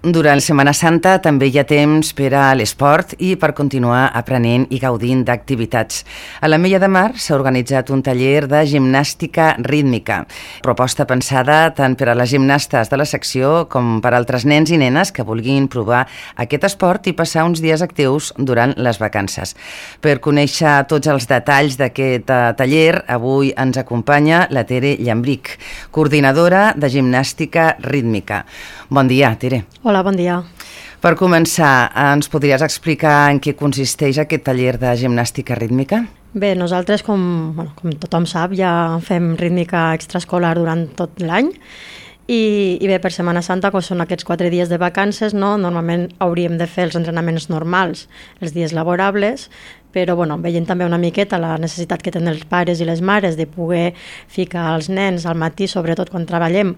Durant Setmana Santa també hi ha temps per a l'esport i per continuar aprenent i gaudint d'activitats. A l'Ametlla de Mar s'ha organitzat un taller de gimnàstica rítmica, proposta pensada tant per a les gimnastes de la secció com per a altres nens i nenes que vulguin provar aquest esport i passar uns dies actius durant les vacances. Per conèixer tots els detalls d'aquest taller, avui ens acompanya la Tere Llambric, coordinadora de gimnàstica rítmica. Bon dia, Tere. Hola, bon dia. Per començar, ens podries explicar en què consisteix aquest taller de gimnàstica rítmica? Bé, nosaltres, com tothom sap, ja fem rítmica extraescolar durant tot l'any i bé, per Setmana Santa, com són aquests 4 dies de vacances, no? Normalment hauríem de fer els entrenaments normals, els dies laborables, però veient també una miqueta la necessitat que tenen els pares i les mares de poder ficar els nens al matí, sobretot quan treballem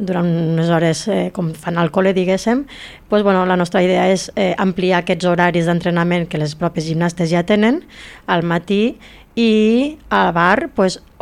durant unes hores com fan al col·le, diguéssim, la nostra idea és ampliar aquests horaris d'entrenament que les pròpies gimnastes ja tenen al matí i a bar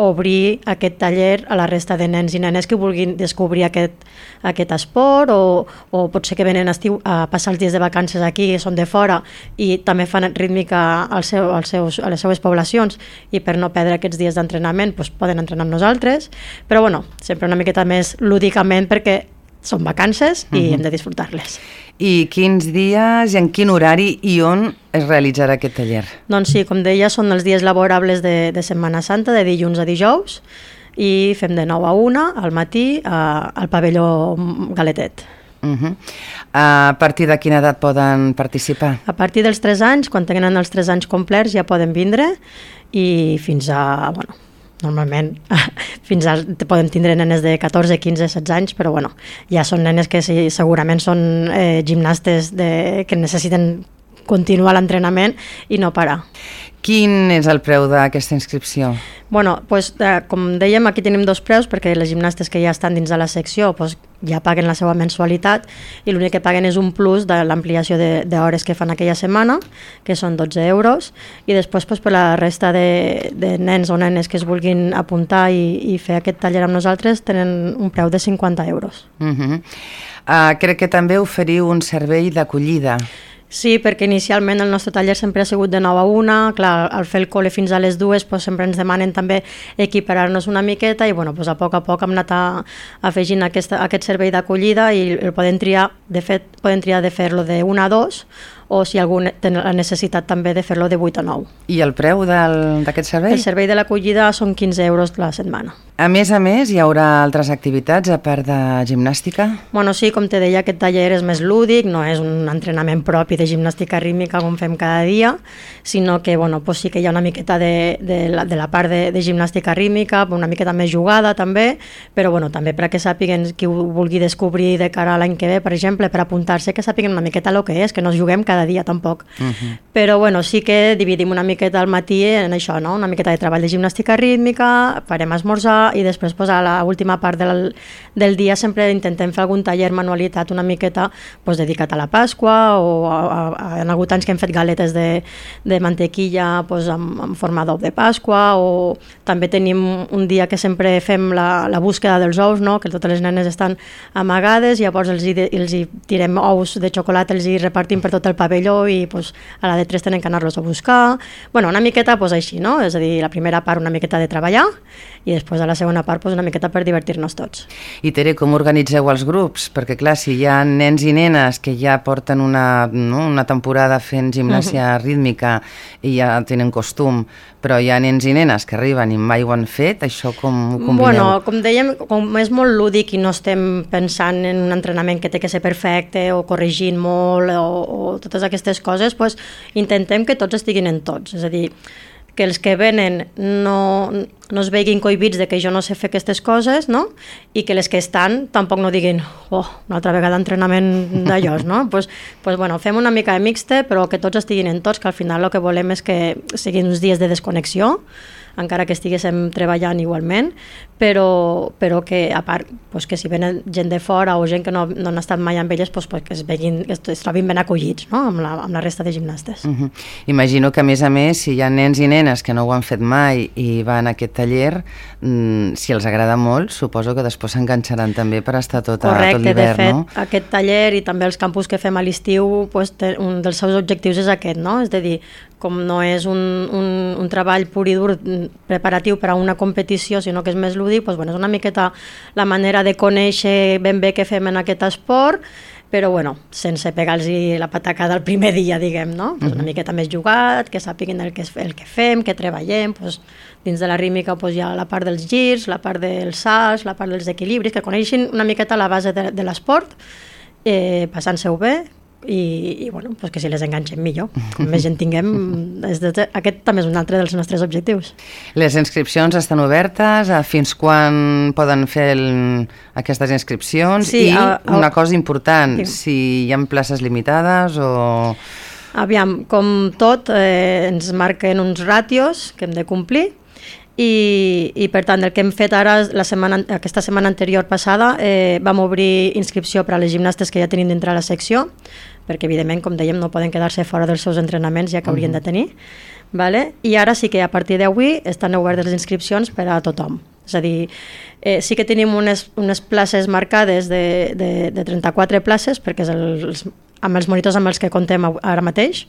obrir aquest taller a la resta de nens i nenes que vulguin descobrir aquest esport o potser que venen a estiu a passar els dies de vacances aquí, són de fora i també fan rítmica a les seues poblacions i per no perdre aquests dies d'entrenament poden entrenar amb nosaltres, però sempre una miqueta més lúdicament perquè són vacances i hem de disfrutar-les. I quins dies i en quin horari i on es realitzarà aquest taller? Doncs sí, com deia, són els dies laborables de Setmana Santa, de dilluns a dijous, i fem de 9 a 1 al matí al pavelló Galetet. A partir de quina edat poden participar? A partir dels 3 anys, quan tenen els 3 anys complerts ja poden vindre i fins a... Normalment fins a poden tindre nenes de 14, 15, 16 anys, però ja són nenes que segurament són gimnastes que necessiten continuar l'entrenament i no parar. Quin és el preu d'aquesta inscripció? Com dèiem, aquí tenim 2 preus perquè les gimnastes que ja estan dins de la secció ja paguen la seva mensualitat i l'únic que paguen és un plus de l'ampliació d'hores que fan aquella setmana, que són 12 euros, i després per la resta de nens o nenes que es vulguin apuntar i fer aquest taller amb nosaltres tenen un preu de 50 euros. Crec que també oferiu un servei d'acollida. Sí, perquè inicialment el nostre taller sempre ha sigut de 9 a 1, clar, al fer el col·le fins a les 2 sempre ens demanen també equiparar-nos una miqueta i a poc hem anat afegint aquest servei d'acollida i el poden triar, de fet, de fer-lo de 1 a 2 o si algú té la necessitat també de fer-lo de 8 a 9. I el preu d'aquest servei? El servei de l'acollida són 15 euros la setmana. A més, hi haurà altres activitats a part de gimnàstica? Sí, com te deia, aquest taller és més lúdic, no és un entrenament propi de gimnàstica rítmica com fem cada dia, sinó que sí que hi ha una miqueta de la part de gimnàstica rítmica, una miqueta més jugada també, però també perquè sàpiguen qui ho vulgui descobrir de cara a l'any que ve, per exemple, per apuntar-se, que sàpiguen una miqueta el que és, que no es juguem cada dia tampoc. Però sí que dividim una miqueta al matí en això, no? Una miqueta de treball de gimnàstica rítmica, farem esmorzar i després a l'última part del dia sempre intentem fer algun taller manualitat una miqueta dedicat a la Pasqua o en alguns anys que hem fet galetes de mantequilla en forma d'ou de Pasqua, o també tenim un dia que sempre fem la búsqueda dels ous, no? Que totes les nenes estan amagades, llavors els hi tirem ous de xocolata, els hi repartim per tot el pavelló i a la de 3 tenen que anar-los a buscar. Una miqueta així, no? És a dir, la primera part una miqueta de treballar i després a la segona part una miqueta per divertir-nos tots. I Tere, com organitzeu els grups? Perquè clar, si hi ha nens i nenes que ja porten una temporada fent gimnàsia rítmica i ja tenen costum, però hi ha nens i nenes que arriben i mai ho han fet, això com ho combineu? Com dèiem, com és molt lúdic i no estem pensant en un entrenament que té que ser perfecte o corregint molt o totes aquestes coses, intentem que tots estiguin en tots, és a dir, que els que venen no es veguin cohibits de que jo no sé fer aquestes coses, no? I que les que estan tampoc no diguin una altra vegada entrenament d'allòs, no? Fem una mica de mixte, però que tots estiguin en tots, que al final el que volem és que siguin uns dies de desconnexió, encara que estiguéssim treballant igualment, però que a part pues, que si venen gent de fora o gent que no han estat mai amb elles, pues, que es trobin ben acollits, no? amb la resta de gimnastes. Imagino que a més, si hi ha nens i nenes que no ho han fet mai i van a aquest taller, si els agrada molt, suposo que després s'enganxaran també per estar tot l'hivern, de fet, no? Aquest taller i també els campus que fem a l'estiu, pues, un dels seus objectius és aquest, no? És a dir, com no és un treball pur i dur preparatiu per a una competició, sinó que és més lúdic, pues, bueno, és una miqueta la manera de conèixer ben bé què fem en aquest esport, però bueno, sense pegar-los la patacada el primer dia, diguem, no? Pues una miqueta més jugat, que sàpiguen el que fem, que treballem, pues, dins de la rítmica pues, hi ha la part dels girs, la part dels salts, la part dels equilibris, que coneixin una miqueta la base de l'esport, passant-se-ho bé, i bueno, pues que si les enganxem millor, com més gent tinguem, aquest també és un altre dels nostres objectius. Les inscripcions estan obertes, fins quan poden fer aquestes inscripcions? Sí, una cosa important, si hi ha places limitades o... Aviam, com tot, ens marquen uns ràtios que hem de complir, i per tant el que hem fet ara aquesta setmana anterior passada vam obrir inscripció per a les gimnastes que ja tenim dintre la secció, perquè evidentment, com dèiem, no poden quedar-se fora dels seus entrenaments ja que haurien de tenir, vale? I ara sí que a partir d'avui estan obertes les inscripcions per a tothom. És a dir, sí que tenim unes places marcades de 34 places, perquè és amb els monitors amb els que comptem ara mateix,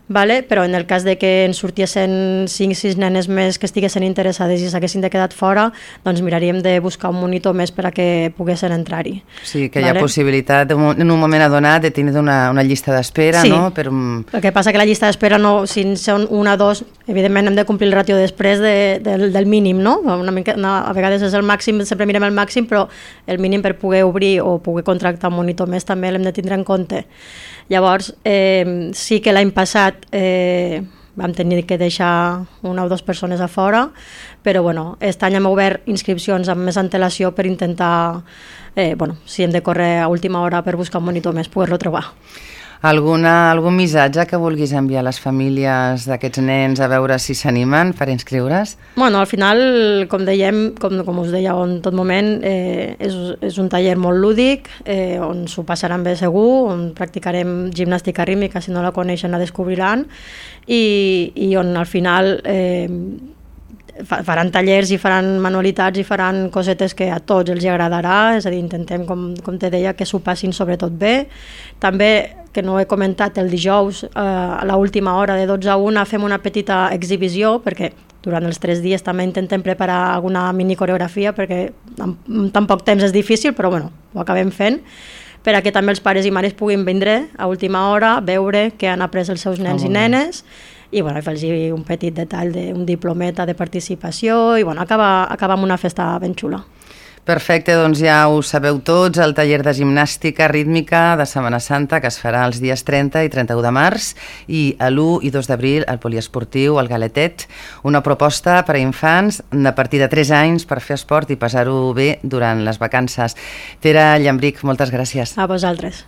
vale? Però en el cas de que en sortissin 5-6 nenes més que estiguessin interessades i s'haguessin de quedar fora, doncs miraríem de buscar un monitor més per a que poguessin entrar-hi. Sí, que hi ha possibilitat en un moment adonat de tenir una llista d'espera, sí. No? El que passa que la llista d'espera, si són 1 o 2, evidentment hem de complir el ràtio després del mínim, no? A vegades és el màxim, sempre mirem el màxim, però el mínim per poder obrir o poder contractar un monitor més també l'hem de tindre en compte. Llavors, sí que l'any passat vam tenir que deixar 1 o 2 persones a fora, però bueno, aquest any hem obert inscripcions amb més antelació per intentar, si hem de córrer a última hora per buscar un monitor més, poder-lo trobar. Algun missatge que vulguis enviar a les famílies d'aquests nens a veure si s'animen per inscriure's? Bueno, al final, com dèiem, com us deia en tot moment, és un taller molt lúdic, on s'ho passaran bé segur, on practicarem gimnàstica rítmica, si no la coneixen la descobriran, i on al final faran tallers i faran manualitats i faran cosetes que a tots els agradarà, és a dir, intentem, com te deia, que s'ho passin sobretot bé. També, que no he comentat, el dijous a l'última hora de 12 a 1 fem una petita exhibició, perquè durant els 3 dies també intentem preparar alguna mini coreografia, perquè amb tan poc temps és difícil, però bueno, ho acabem fent, per a que també els pares i mares puguin vindre a última hora, veure què han après els seus nens i nenes, i bueno, fer-los un petit detall d'un diplometa de participació i bueno, acabar amb una festa ben xula. Perfecte, doncs ja ho sabeu tots, el taller de gimnàstica rítmica de Setmana Santa que es farà els dies 30 i 31 de març i l'1 i 2 d'abril al poliesportiu, al Galetet, una proposta per a infants a partir de 3 anys per fer esport i passar-ho bé durant les vacances. Tere Llambrich, moltes gràcies. A vosaltres.